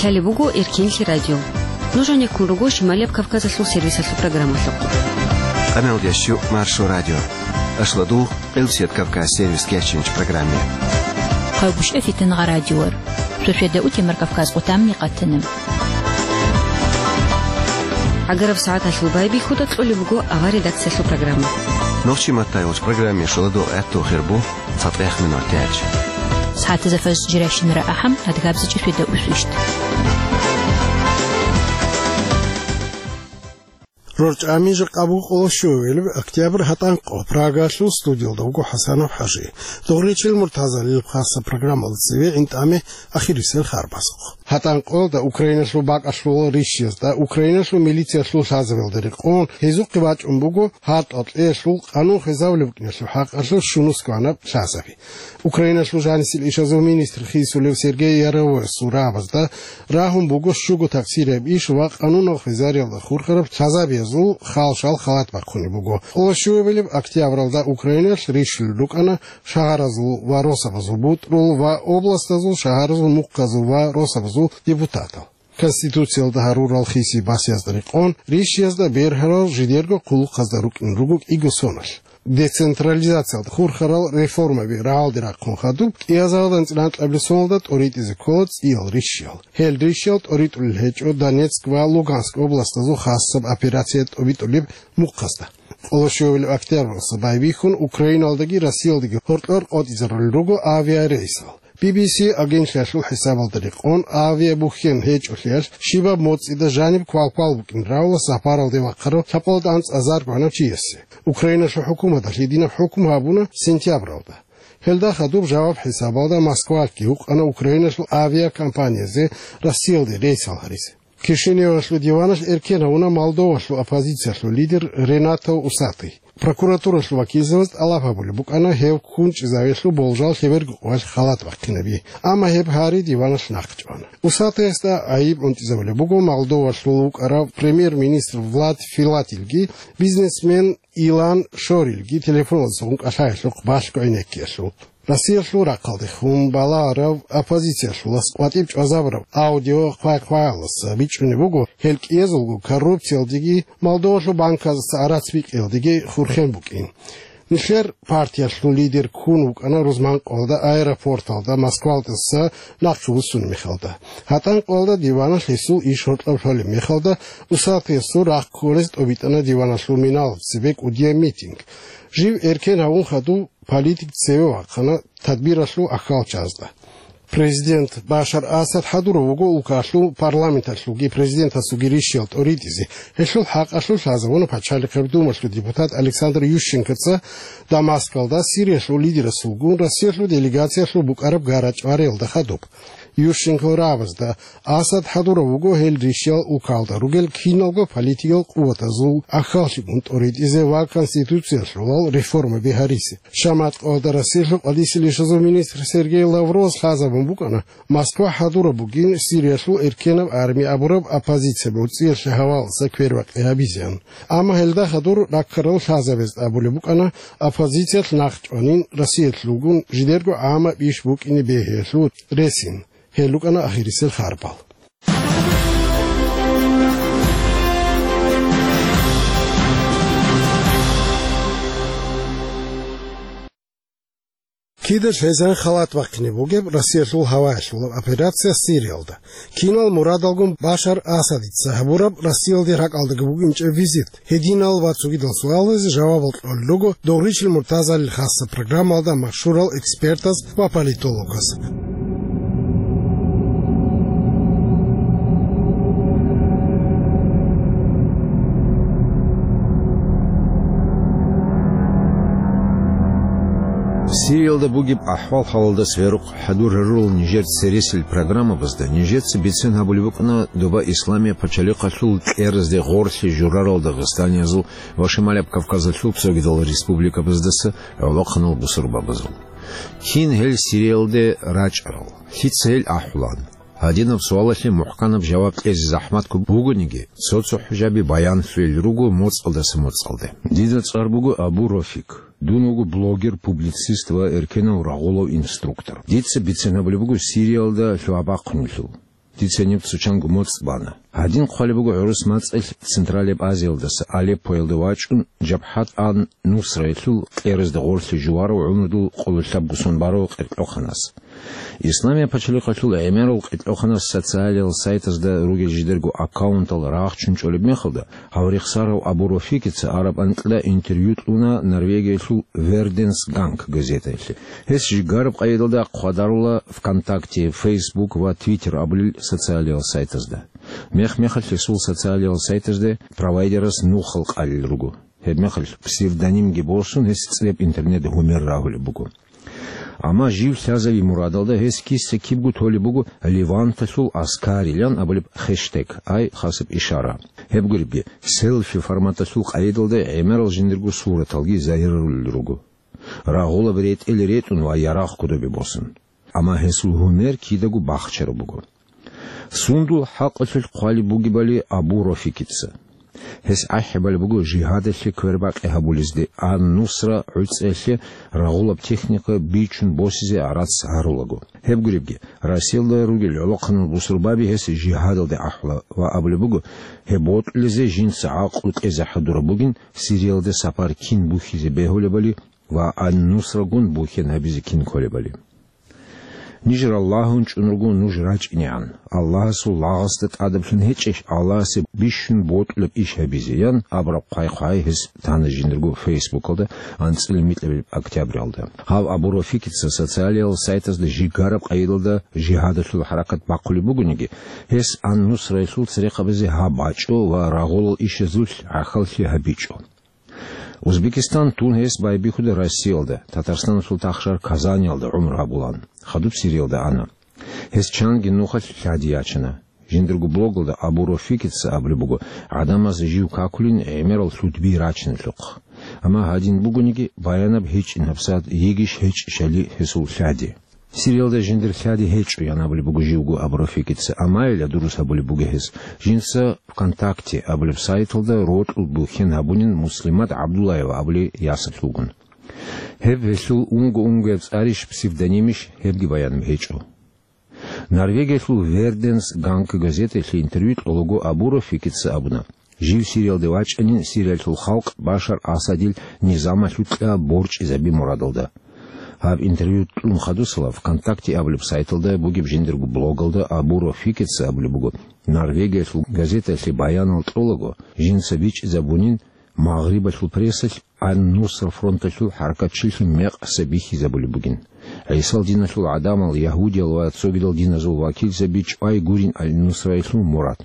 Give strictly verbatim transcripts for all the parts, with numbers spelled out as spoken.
Лъалеб буго Эркенлъи радио. Нуж гьанеккун руго Шималияб Кавказалъул сервисалъул программалъухъ. Къамел ящу Маршо радио. Ашладул Къилсият Кавказ сервис кечинч программе. Хъавгушев Фитингъа радиор. Шошеда утемар Кавказ къутамни къатана. Агараб сагӀаталъул байбихьуда кьолеб буго авар редакциялъул программа. Нохчи маттай уч программе шуладул гӀатту хирбу. ЦатӀех минут тяч. СагӀатазда фаз жирашинра ахӀам, адгабзичӀи феда усвищт. РорчӀами жакъа буго къоло щуабилеб октябрь, гьатӀанкъо, Прагалъул студиялда вуго ХӀасанов ХӀажи. Дугъричил Муртазалил хасса программалда цеве гӀинтӀаме ахирисел харбасухъ. ГьатӀанкъоялда Украиналъул бакӀалъул рищиязда, Украиналъул милициялъул лъазабиялда рекъон, гьезухъе бачӀун буго гьартӀал кьеялъул къанун хвезавулеб букӀиналъул хӀакъалъулъ щунусго гьанаб лъазаби. Украиналъул жанисел ишазул министр хисулев Сергей Яровой сурабазда рагьун буго щуго таксирияб иш ва къанунал хвезариялда хурхараб лъазабиязул халшал халат бахъунеб буго. Къоло щуабилеб октябралда Украиналъ рищулел рукӀана шагьаразул ва росабазул бутӀрул ва областазул шагьаразул мухъазул ва росабазул депутатал. Конституциялда гьарурал хиси басиязда рекъон, рищиязда бергьарал жидерго хъулухъазда рукӀин руго кӀиго соналъ. Децентрализациялда хурхарал реформаби рагӀалде рахъун хадуб, кӀиазардан цӀинанкьабилеб соналда тӀоритӀизе ккола цӀиял рищиял. Гьел рищиял тӀоритӀулел гьечӀо Донецк ва Луганск областазул хасаб операция тӀобитӀулеб мухъазда. Къоло щуабилеб октябралъа байбихьун Украиналдаги Россиялдаги гьоркьор къотӀизарулел руго авиарейсал. Би би си агентлъиялъул хӀисабалда рекъон, авиабухьен гьечӀолъиялъ щибаб моцӀида жаниб квалквал букӀин равла сапаралде вахъарав лъабкъоялда анцӀазарго гьанав чиясе. Украиналъул хӀукуматалъ гьединаб хӀукму гьабуна сентябралда. Гьелда хадуб жаваб хӀисабалда Москвалъги гьукъана Украиналъул авиакомпаниязе Россиялде рейсал гьаризе. Кишиневалъул диваналъ эркен гьавуна Молдовалъул оппозициялъул лидер Ренато Усатый. Прокуратуралъул вакилзабаз тӀалаб гьабулеб букӀана гьев ккунчӀезавиялъул болжал лъеберго къоялъ халат бахъинаби, амма гьеб гьари диваналъ нахъчӀвана. Усатыясда гӀайиб гӀунтӀизабулеб буго Молдовалъул вукӀарав премьер-министр Влад Филатилги, бизнесмен Илан Шорилги телефоналдаса гъункъалъаялъухъ балъго гӀенеккиялъул. Россиялъул рахъалдехун балагьарав оппозициялъулас къватӀиб чӀвазабураб аудио хъвай-хъваялдаса бичӀчӀунеб буго, гьел кӀиязулго коррупциялдеги Молдовалъул банказдаса гӀарац бикьиялдеги хурхен букӀин. Нилъер партиялъул лидер ккун вукӀана рузманкъоялда аэропорталда Москвалдаса нахъе вуссун мехалда. ГьатӀанкъоялда диваналъ гьесул иш гьоркьоб лъолеб мехалда, Усатыясул рахъ кколез тӀобитӀана диваналъул миналаб цебе кӀудияб митинг. Жив эркен гьавун хадув политик цеве вахъана тадбиралъул ахьалчазда. Президент Башар Асад хӀадурав вуго улкалъул парламенталъулги президентасулги рищиял тӀоритӀизе. Гьелъул хӀакъалъулъ лъазабуна Пачалихъеб Думалъул депутат Александр Ющенкоца Дамаскалда Сириялъул лидерасулгун Россиялъул делегациялъул букӀараб гарачӀвариялда хадуб. Ющенкол рагӀабазда Асад хӀадурав вуго гьел рищиял улкалда ругел киналго политикал къуватазул ахьаллъигун тӀоритӀизе ва конституциялъулал реформаби гьаризе. Шаматкъалда Россиялъул къвалиселищазул министр Сергей Лавровас лъазабун букӀана, Москва хӀадураб бугин Сириялъул эркенаб арми абураб оппозиция борцӀиялъе гьаваласа квербакъи гьабизеян. Амма гьелда хадур раккарал лъазабазда абулеб букӀана, оппозициялъ нахъ чӀванин Россиялъулгун жидерго гӀамаб иш букӀине бегьиялъул ресин. Гьел рукӀана ахирисел харбал. Кида лъезан халат бахъине бугеб Россиялъул гьаваялъулаб операция Сириялда? Кинал мурадалгун Башар Асадица гьабураб Россиялде ракӀалдаги букӀинчӀеб визит? Гьединал ва цогидал суалазе жавабал кьолел руго Дугъричил Муртазалил хасса программалда машгьурал экспертаз ва политологаз. Сириялда бугеб ахӀвал-хӀалалда церехъ хӀадур гьарурал нижер цересел программабазда нижеца бицен гьабулеб букӀана доба Исламияб пачалихъалъул кьеразде гъорлъи журарал дагъистаниязул ва Шималияб Кавказалъул цогидал республикабаздаса гӀолохъанал бусурбабазул. Кин гьел Сириялде рачӀарал? Лъица гьел ахӀулан? Гьадинаб суалалъе мухӀканаб жаваб кьезе захӀматго бугониги, цо-цо хӀужаби баянлъулел руго моцӀалдаса моцӀалде. Дида цӀар буго Абу Рофик. Дун вуго блогер, публицист ва эркенав рагъулав инструктор. Дица бицен гьабулеб буго Сириялда лъугьа-бахъунелъул. Дица гьениб цо чанго моцӀ бана. Гьадин хъвалеб буго гӀурус мацӀалъ Централияб Азиялдаса Алеппоялде вачӀун, Жабхат ан-Нусраялъул кьеразда гъорлъе жуварав гӀумрудул къоло лъабго сон барав къеркьохъанас. Исламияб пачалихъалъул гӀемерал къеркьохъанас социалиял сайтазда ругел жидерго аккаунтал рагъчун чӀолеб мехалда, гьав рехсарав Абу Рафикица араб анкьда интервью кьуна Норвегиялъул Верденс Ганг газетаялъе. Гьес жигараб къайдалда хъвадарула ВКонтакте, Фейсбук ва Твиттер абулел социалиял сайтазда. Мех-мехалъ гьесул социалиял сайтазда провайдерас нухал къалел руго. Гьебмехалъ псевдонимги босун, гьес цӀибаб интернет гьумер рагьулеб буго. Амма жив лъазави мурадалда гьес киса-кибго толеб буго «Леванталъул аскарилан» абулеб хештег, ай хасаб ишара. Гьеб гуребги, селфи форматалъул къайдалда гӀемерал жиндирго сураталги загьирарулел руго. Рагъулаб ретӀел ретӀун ва ярагъ кодобе босун. Амма гьесул гьумер кидаго бахчараб буго. Сундул хӀакъалъулъ хъвалеб бугебали Абу Рафикица. Гьес ахӀи балеб буго жигьадалъе квербакъи гьабулезде, ан-Нусра гӀуцӀиялъе рагъулаб техника бичун босизе гӀарац гьарулаго. Гьеб гуребги, Россиялда ругел гӀолохъанал бусурбаби гьес жигьадалде ахӀула ва абулеб буго, гьеб бокьулезе жинца гӀакълу кьезе хӀадураб бугин, Сириялда сапар кин бухьизе бегьулебали ва ан-Нусрагун бухьен гьабизе кин кколебали. Ниж раллагьун чӀун руго нуж рачӀинегӀан, Аллагьасул лагъасда тӀадаблъун гьечӀищ Аллагьасе бищун бокьулеб иш гьабизе, ян абураб хъвай-хъвай гьес тана жиндирго Фейсбукалда анцӀила микьабилеб октябралда. Гьав Абу Рафикица социалиял сайтазда жигараб къайдалда жигьадалъул хӀаракат бахъулеб бугониги, гьес ан-Нусраялъул церехъабазе гьаб бачӀо ва рагъулал ишазулъ гӀахьаллъи гьабичӀо. Узбекистан тун гьес байбихьуда Россиялда, Татарстаналъул тахшар Казаниялда гӀумру гьабулан, хадуб Сириялда ана. Гьес чанги нухалъ лъади ячана. Жиндирго блогалда Абу Рафикица абулеб буго, гӀадамаз жив какулин гӀемерал лъудби рачиналъухъ. Амма гьадин бугониги, баянаб гьечӀин гьабсагӀат йигищ-гьечӀищали гьесул лъади. Сириялда жиндир лъади гьечӀо, ян абулеб буго живго Абу Рафикица, амма ила дурус гьабулеб буго гьес. Жинца ВКонтакте абулеб сайталда рокьул бухьен гьабунин Муслимат ГӀабдуллаева абулей ясалъулгун. Гьеб гьелъул унго-унгояб цӀарищ, псевдонимищ, гьебги баянаб гьечӀо. Норвегиялъул Верденс Ганг газеталъе интервью кьолаго Абу Рафикица абуна, жив Сириялде вачӀанин Сириялъул халкъ Башар Асадил низамалъукьа борчӀизаби мурадалда. Гьаб интервью кьун хадусала ВКонтакте абулеб сайталда бугеб жиндирго блогалда Абу Рафикица абулеб буго, Норвегиялъул газеталъе баянал кьолаго, жинца бичӀчӀизабунин Магърибалъул прессалъ ан-Нусра фронталъул хӀаракатчилъун мекъаса бихьизабулеб бугин. ГӀисал диналъул гӀадамал, ягьудиял ва цогидал диназул вакилзаби чӀвай гурин ан-Нусраялъул мурад.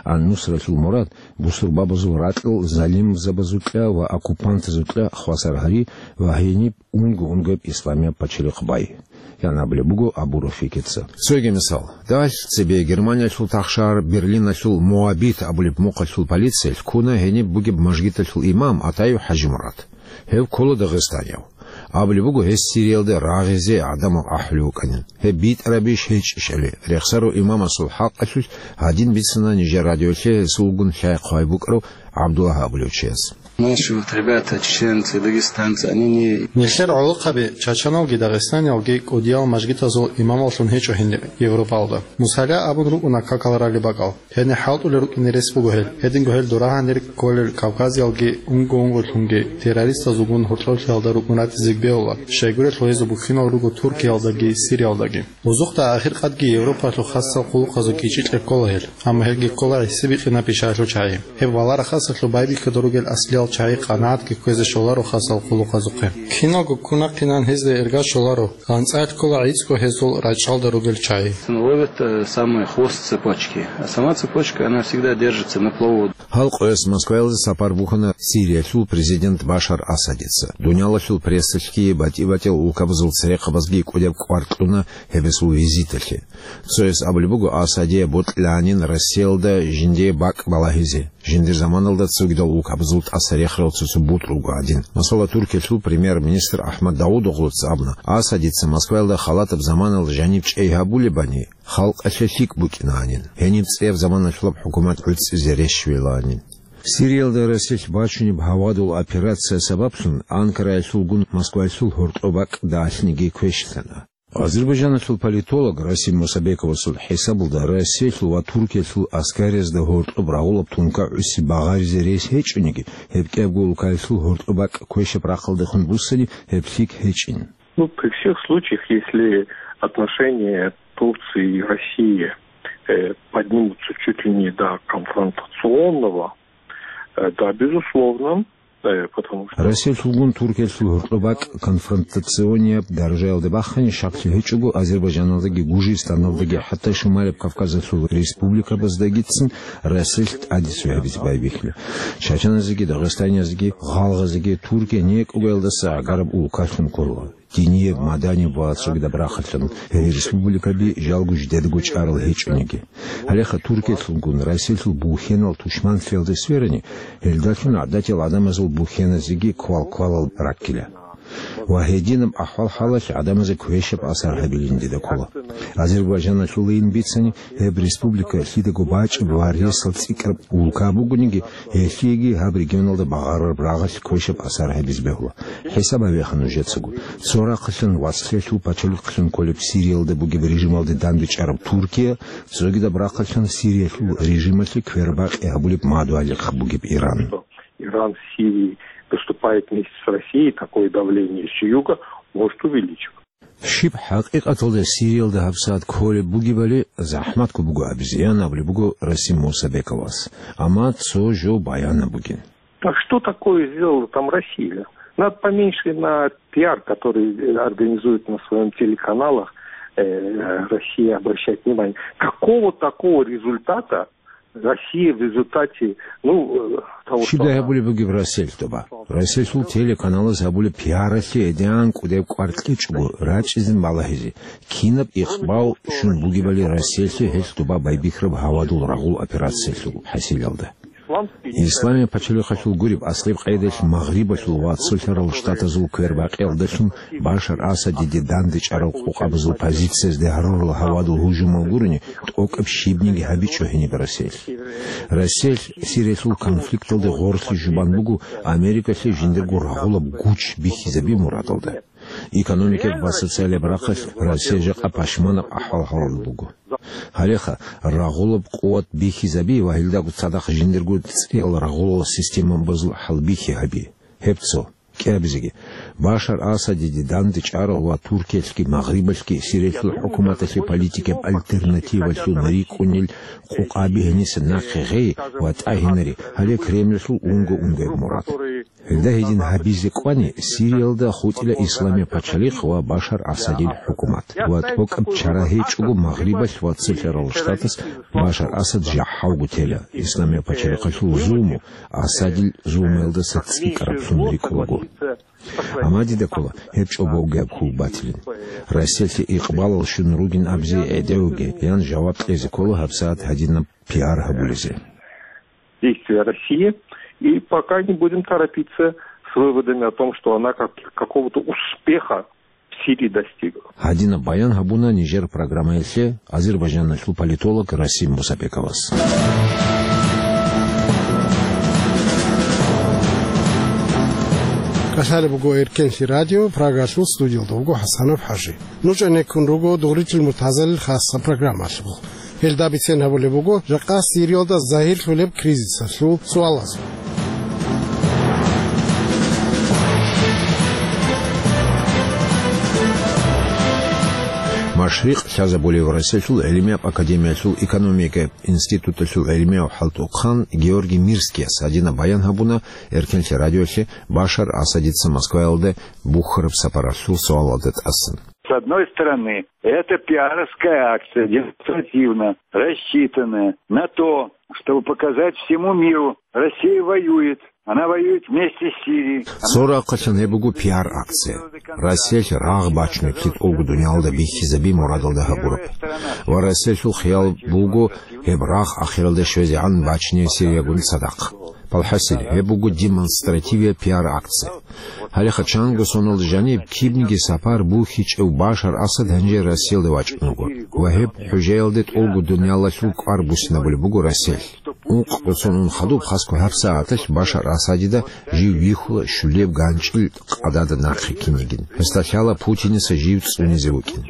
Ан-Нусраялъул мурад бусурбабазул ракьал залимзабазукьа ва оккупантазукьа хвасар гьари ва гьениб унго-унгояб исламияб пачалихъ бай, ян абулеб буго Абу Рафикица. Цоги мисал. Дагьалъ цебе Германиялъул тахшар Берлиналъул Моабит абулеб мухъалъул полициялъ ккуна гьениб бугеб мажгиталъул имам Атаев ХӀажимурад. Гьев ккола дагъистанияв. Абулеб буго, гьес Сириялда рагъизе гӀадамал ахӀулев вукӀанин. Гьеб битӀарабищ-гьечӀищали, рехсарав имамасул хӀакъалъулъ гьадин бицана нижер радиолъе гьесулгун лъай-хъвай букӀарав ГӀабдуллагь абулев чияс. Наши вот ребята, чеченцы, дагестанцы, они не... Нилъер гӀолохъаби, чачаналги дагъистаниялги кӀудиял мажгитазул имамаллъун гьечӀо гьенир Европалда. Мусала абун рукӀуна какал ралеб бакӀал. Гьенир хӀалтӀулел рукӀине рес буго гьел. Гьединго гьел дурагьанир кколел Кавказиялги унго-унголъунги террористазулгун гьоркьоблъиялда рукӀун ратизе бегьула, щайгурелъул гьезул бухьинал руго Туркиялдаги Сириялдаги. Бузухъда ахиркъадги Европалъул хасал хъулухъазул кӀичӀи кьеккола гьел, амма гьелги ккола гӀисибикьинаб бищаялъул чагӀи. Гьеб валараб хасалъул байбихьуда ругел аслиял чагӀи къанагӀатги кквезе щоларо хасал хъулухъазухъе. Киналго ккун рахъинан гьезда эрга щоларо, анцӀила ккола гӀицӀго гьезул рачӀалда ругел чагӀи. Ловят, э, самый хвост цепочки, а сама цепочка, она всегда держится на плаву. Гьал къоялъ Москваялде сапар бухьана Сириялъул президент Башар Асадица. Дуниялалъул прессалъги, батӀи-батӀиял улкабазул церехъабазги кӀудияб кӀвар кьуна гьеб гьесул визиталъе. Цояс абулеб буго, Асадие бокьилаанин Россиялда жиндие бакӀ балагьизе, жиндир заманалда цогидал улкабазул тӀаса рехарал цо-цо бутӀрулго гӀадин. Масала, Туркиялъул премьер-министр Ахмад Давудоглуца абуна, Асадица Москваялда халатаб заманалда жаниб чӀей гьабулебани, халкъалъе лъикӀ букӀинаанин, гьениб цӀияб заманалъулаб хӀукумат гӀуцӀизе рещтӀвилаанин. Сириялда Россиялъ бачунеб гьавадул операция сабаблъун Анкараялъулгун Москваялъул гьоркьоб бакӀ далъниги квешлъана. Азербайджаналъул политолог Расим Мусабековасул хӀисабалда, Россиялъул ва Туркиялъул аскариязда гьоркьоб рагъулаб тункагӀуси багъаризе рес гьечӀониги, гьеб кӀиябго улкаялъул гьоркьоб бакӀ квешаб рахъалдехун буссани, гьеб лъикӀ гьечӀин. Ну, при всех случаях, если отношения Турции и России, э, поднимутся чуть ли не до конфронтационного, э, да, безусловно, э, потому что Россиялъулгун Туркиялъул гьоркьоб бакӀ конфронтационияб даражаялде бахъани, щаклъи гьечӀого, Азербайджаналдаги Гужистаналдаги, хӀатта Шумалияб Кавказалъул республикабаздагицин Россиялъ тӀаде цо гьабизе байбихьула. Чачаназеги, дагъистаниязеги, гъалгъазеги Туркия некӀугаялдаса гӀагараб улкалъун ккола. Динияб, маданияб ва цогидаб рахъалъан гьел республикаби жалго жидедаго чӀарал гьечӀониги. Гьалеха Туркиялъулгун Россиялъул бухьенал тушманлъиялде сверани, гьелдалъун гӀадатиял гӀадамазул бухьеназеги квал-квалал раккила. Ва гьединаб ахӀвал-хӀалалъ гӀадамазе квешаб асар гьабилин дида ккола. Азербайджаналъулайин бицани, гьеб республика лъидаго бачӀеб ва ресал цӀикӀкӀараб улка бугониги, гьелъиеги гьаб регионалда багъарараб рагъалъ квешаб асар гьабизе бегьула. ХӀисаб гьабеха нужецаго. Цо рахъалъан вацлъиялъул пачалихълъун кколеб Сириялда бугеб режималде дандечӀараб Туркия, цогидаб рахъалъан Сириялъул режималъе квербакъи гьабулеб мадугьалихъ бугеб Иран. Иран в Сирии выступает вместе с Россией, такое давление с юга может увеличиваться. Щиб хӀакъикъаталда Сириялда гьабсагӀат кколеб бугебали захӀматго буго абизе, ян абулеб буго Расим Мусабековас. Амма цо жо баянаб бугин. А что такое сделала там Россия? Надо поменьше на пиар, который, э, организует на своем телеканалах, э, Россия обращать внимание. Какого такого результата Россия в результате, ну, э, того, что Щибдай она гьабулеб бугеб Россиялъ тоба? Россиялъул телеканалаз гьабулеб пиаралъе гӀедегӀан кӀудеб кӀвар кьечӀого рачӀизин балагьизе, кинаб икъбал щун бугебали Россиялъе гьелъ тоба байбихьараб гьавадул рагъул операциялъул хӀасилалда. Исламияб пачалихъалъул гуреб аслаб къайдалъ Магърибалъул ва Цолъарал Штатазул квербакъиялдалъун Башар Асадиде дандечӀарал къокъабазул позициязде гьарурал гьавадул гьужумал гурони, тӀокӀаб щибниги гьабичӀо гьениб Россиялъ. Россиялъ Сириялъул конфликталде гъорлъи жубан буго Америкалъе жиндирго рагъулаб гуч бихьизаби мурадалда. Экономикаялъ ва социалияб рахъалъ Россия жакъа пашманаб ахӀвал-хӀалалда буго. Гьалеха, рагъулаб къуват бихьизаби ва гьелдаго цадахъ жиндирго цӀиял рагъулал системабазул хӀалбихьи гьаби. Гьеб цо. КӀиабизеги, Башар Асадиде дандечӀарал ва Туркиялъги Магърибалъги Сириялъул хӀукуматалъе политикаб альтернативалъун рикӀкӀунел къокъаби гьениса нахъе гъей ва тӀагьинаре, гьале Кремльалъул унго-унгояб мурад. Гьелда гьедин гьабизе кӀвани, Сириялда хутӀила Исламияб пачалихъ ва Башар Асадил хӀукумат, ва тӀокӀаб чара гьечӀого Магърибалъ ва Цолъарал Штатас Башар Асад жахӀалго тела, Исламияб пачалихъалъул зулму Асадил зулмуялдаса цӀикӀкӀараблъун рикӀкӀунаго. Амма дида ккола гьеб чӀобогияб хьул батилин. Россиялъе икъбалал щун ругин абизе гӀедегӀуге, ян жаваб кьезе ккола гьабсагӀат гьадинаб пиар гьабулезе. Действия России, и пока не будем торопиться с выводами о том, что она как, какого-то успеха в Сирии достигла. Гьадинаб баян гьабуна нижер программаялъе Азербайджаналъул политолог Расим Мусабековас. КӀалъалеб буго Эркенлъи радио, Прагалъул студиялда вуго ХӀасанов ХӀажи. Нуж гӀенеккун руго Дугъричил муртазалил хасса программалъухъ. Гьелда бицен гьабулеб буго жакъа Сириялда загьирлъулеб кризисалъул суалазул. Машрикъ лъазабулев Россиялъул гӀилмияб академиялъул экономикаяб институталъул гӀилмияв хӀалтӀухъан Георгий Мирскияс гьадинаб баян гьабуна Эркенлъи радиоялъе Башар Асадица Москваялде бухьараб сапаралъул суалалда тӀасан. С одной стороны, это пиаровская акция, демонстративно рассчитанная на то, чтобы показать всему миру: Россия воюет, она воюет вместе с Сирией. Цо рахъалъан гьеб буго пиар-акция. Россиялъ рагъ бачунеблъи тӀолго дуниялда бихьизаби мурадалда гьабураб. Ва Россиялъул хиял буго гьеб рагъ ахиралде щвезегӀан бачине Сириягун цадахъ. Балхасил, гьеб буго демонстративияб пиар-акция. Гьалеха чанго соналда жаниб кибниги сапар бухьичӀев Башар Асад гьанже Россиялде вачӀун вуго. Ва гьеб хӀужаялде тӀолго дуниялалъул кӀвар буссинабулеб буго Россиялъ. Ункъго сон ун хадуб хасго гьабсагӀаталъ Башар Асадида жив вихьула щулеб ганчӀил къадада нахъе кинигин. Гьесда лъала Путиниса жив цӀунизе вукӀин.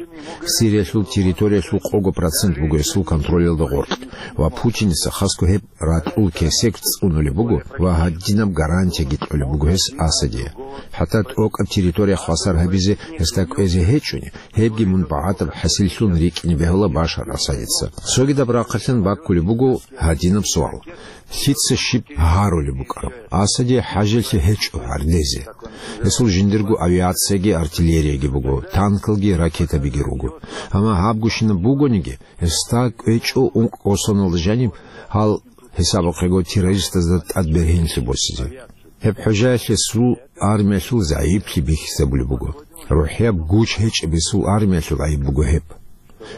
Сириялъул территориялъул къого процент буго гьесул контролалда гъоркь, ва Путиница хасго гьеб ракьул кесек цӀунулеб буго ва гьадинаб гарантияги кьолеб буго гьес Асаде. ХӀатта тӀокӀаб территория хвасар гьабизе гьесда кӀвезе гьечӀони, гьебги мун багӀатаб хӀасиллъун рикӀкӀине бегьула Башар Асадица. Цогидаб рахъалъан баккулеб буго гьадинаб суал: лъица щиб гьарулеб букӀараб? Асаде хӀажалъи гьечӀо гьардезе. Гьесул жиндирго авиацияги артиллерияги буго, танкалги ракетабиги руго. Амма гьабгощинаб бугониги, гьесда кӀвечӀо ункъго соналда жаниб гьал, гьисабухъего, террористазда тӀад бергьенлъи босизе. Гьеб хӀужаялъе гьесул армиялъул загӀиплъи бихьизабулеб буго. РухӀияб гуч гьечӀеб гьесул армиялъул гӀайиб буго гьеб.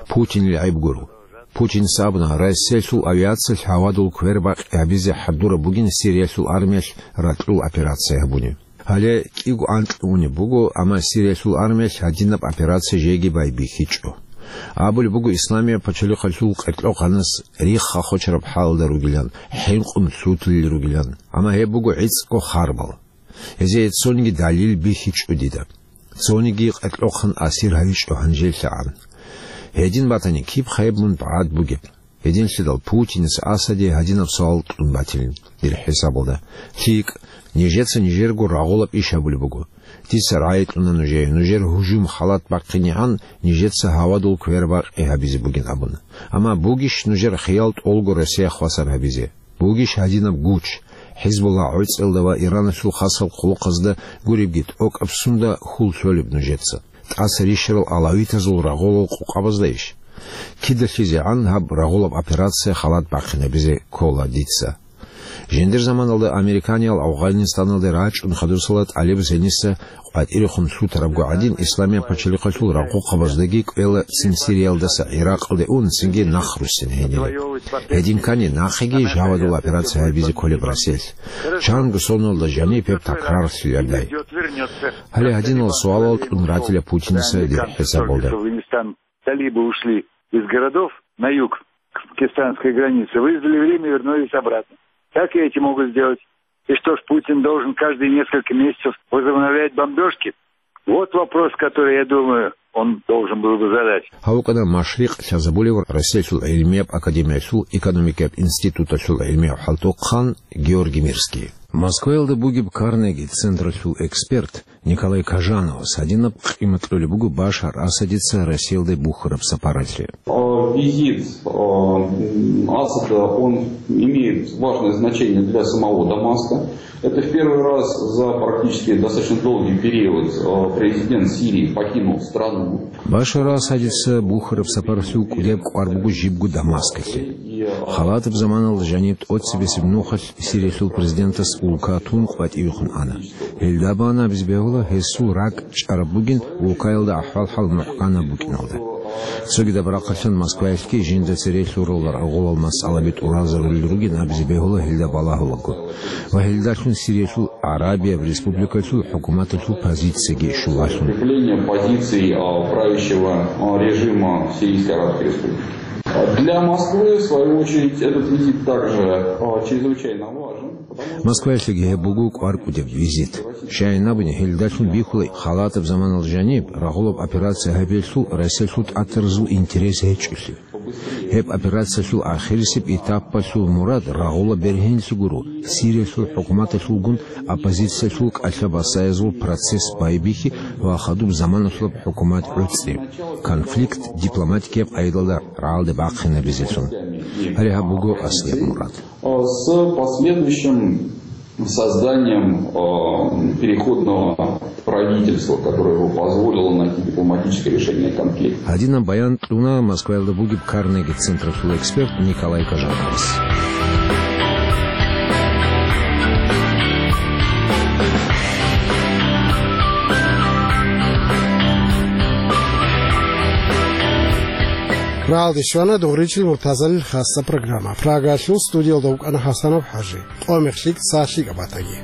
Путинил гӀайиб гуро. Путиница абуна, Россиялъул авиациялъ гьавадул квербакъи гьабизе хӀадураб бугин Сириялъул армиялъ ракьул операция гьабуни. Гьале кӀиго анкьго унеб буго, амма Сириялъул армиялъ гьадинаб операция жеги байбихьичӀо. Абулеб буго, Исламияб пачалихъалъул къеркьохъанас рихха хочараб хӀалалда ругилан, хӀинкъун лъутулел ругилан. Амма гьеб буго гӀицӀго харбал. Гьезие цониги далил бихьичӀо дида. Цониги къеркьохъан асир гьавичӀо гьанжелъагӀан. Гьедин батани, киб хъайб мун багӀад бугеб? Гьединлъидал Путинас Асаде гьадинаб суал кьун батилин, дир хӀисабалда: лъикӀ, нижеца нижерго рагъулаб иш гьабулеб буго. Дица рагӀи кьуна нужее, нужер гьужум халат бахъинегӀан нижеца гьавадул квербакъи гьабизе бугин абун. Амма бугищ нужер хиял тӀолго Россия хвасар гьабизе? Бугищ гьадинаб гуч, ХӀизбуллагь гӀоцӀиялда ва Ираналъул хасаб хъулухъазда гуребги тӀокӀаб сунда хьул лъолеб нужеца? ТӀаса рищарал алавитазул рагъулал къокъабаздайищ? КидалъизегӀан гьаб рагъулаб операция халат бахъинабизе ккола дица. Жиндир заманалда американиял Афганистаналде рачӀун хадусала тӀалиб зениса къватӀирехун лъутарабго гӀадин, Исламияб пачалихъалъул рагъухъабаздаги кӀвела цин Сириялдаса ГӀиракъалде ун, цинги нах руссин гьенире. Гьедин ккани, нахъеги жавадул операция гьабизе кколеб Россиялъ. Чанго соналда жаниб гьеб такрарлъилардай. Гьале гьадинал суалал кьун ратила Путинаса дир хӀисабалда. Талибы ушли из городов на юг, к пакистанской границе, выждали время, вернулись обратно. Так и эти могут сделать. И что ж, Путин должен каждые несколько месяцев возобновлять бомбежки? Вот вопрос, который, я думаю, он должен был бы задать. Гьавукьана Машрикъ лъазабулев Россиялъул гӀилмияб академиялъул экономикияб институталъул гӀилмияв хӀалтӀухъан Георгий Мирский. Москваялда бугеб Карнеги централъул эксперт Николай Кажановас гьадинаб къимат кьолеб буго Башар Асадица Россиялде бухьараб сапаралъе. Э, визит, э, м, Асада, он имеет важное значение для самого Дамаска. Это в первый раз за практически достаточно долгий период, э, президент Сирии покинул страну. Башар Асадица бухьараб сапаралъул кӀудияб кӀвар буго жибго Дамаскалъе. Халатаб заманалда жаниб тӀоцебесеб нухалъ Сириялъул президентас улка тун къватӀивехун ана. Гьелда бан абизе бегьула, гьесул ракӀ чӀараб бугин улкаялда ахӀвал-хӀал мухӀканаб букӀиналда. Цогидаб рахъалъан Москваялъги жинда цере лъурал рагъулал масъалаби тӀуразарулел ругин абизе бегьула гьелда балагьулаго. Ва гьелдалъун Сириялъул гӀарабияб республикалъул хӀукуматалъул позицияги щулалъун. Укрепление позиций, а, правящего, а, режима в Сирийской Арабской Республике. Для Москвы, в свою очередь, этот визит также, а, чрезвычайно важен, потому что Москваялъеги гьеб буго кӀвар кӀудеб визит. Щайин абуни, гьелдалъун бихьула халатаб заманалда жаниб рагъулаб операция гьабиялъул Россиялъул тӀатаразул интерес гьечӀолъи. Гьеб операциялъул ахирисеб этапалъул мурад рагъула бергьенлъи гуро, Сириялъул хӀукуматалъулгун оппозициялъул кӀалъа-басаязул процесс байбихьи ва хадуб заманалъулаб хӀукумат гӀуцӀи. Конфликт дипломатикияб къайдалда рагӀалде бахъинабизелъун. Гьале гьаб буго аслияб мурад. С последующим созданием, э, переходного правительства, которое бы позволило найти дипломатическое решение конфликта. Гьадинаб баян кьуна Москваялда бугеб Карнеги централъул эксперт Николай Кажановас. Рагьалде щвана Дугъричил Муртазалил хасса программа. Прагаялъул студиялда вукӀана ХӀасанов ХӀажи. Къо-мех лъикӀ, цо лъикӀаб батаги.